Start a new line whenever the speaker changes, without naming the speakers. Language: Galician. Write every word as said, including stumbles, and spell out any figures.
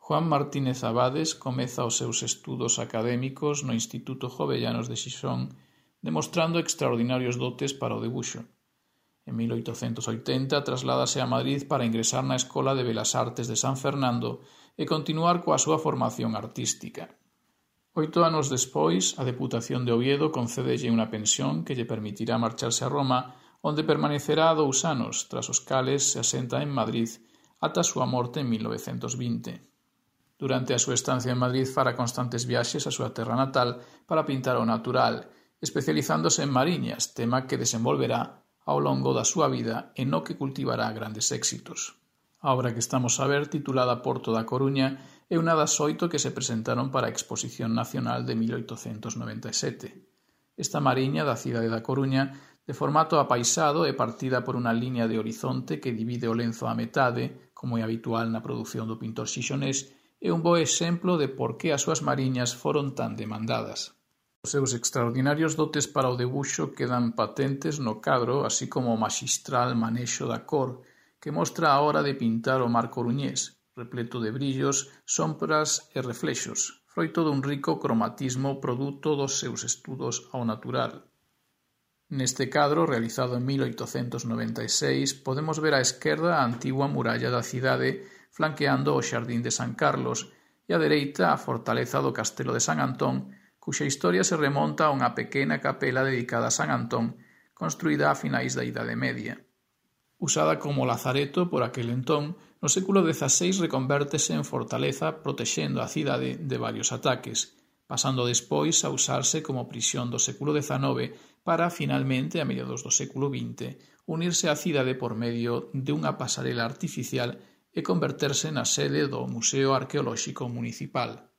Juan Martínez Abades comeza os seus estudos académicos no Instituto Jovellanos de Xixón, demostrando extraordinarios dotes para o debuxo. En mil oitocentos oitenta trasládase a Madrid para ingresar na Escola de Belas Artes de San Fernando e continuar coa súa formación artística. Oito anos despois, a Deputación de Oviedo concédelle unha pensión que lle permitirá marcharse a Roma, onde permanecerá dous anos, tras os cales se asenta en Madrid ata a súa morte en mil novecentos vinte. Durante a súa estancia en Madrid fará constantes viaxes á súa terra natal para pintar o natural, especializándose en mariñas, tema que desenvolverá ao longo da súa vida e no que cultivará grandes éxitos. A obra que estamos a ver, titulada Porto da Coruña, é unha das oito que se presentaron para a Exposición Nacional de mil oitocentos noventa e sete. Esta mariña da cidade da Coruña, de formato apaisado e partida por unha liña de horizonte que divide o lenzo á metade, como é habitual na produción do pintor xixonés, é un bo exemplo de por que as súas mariñas foron tan demandadas. Os seus extraordinarios dotes para o debuxo quedan patentes no cadro, así como o maxistral manexo da cor, que mostra a hora de pintar o mar coruñés, repleto de brillos, sombras e reflexos, froito dun rico cromatismo produto dos seus estudos ao natural. Neste cadro, realizado en mil oitocentos noventa e seis, podemos ver á esquerda a antigua muralla da cidade flanqueando o xardín de San Carlos e á dereita a fortaleza do castelo de San Antón, cuxa historia se remonta a unha pequena capela dedicada a San Antón, construída a finais da Idade Media. Usada como lazareto por aquel entón, no século dezaseis reconvértese en fortaleza protexendo a cidade de varios ataques, pasando despois a usarse como prisión do século dezanove para, finalmente, a mediados do século vinte, unirse á cidade por medio de unha pasarela artificial e converterse na sede do Museo Arqueolóxico Municipal.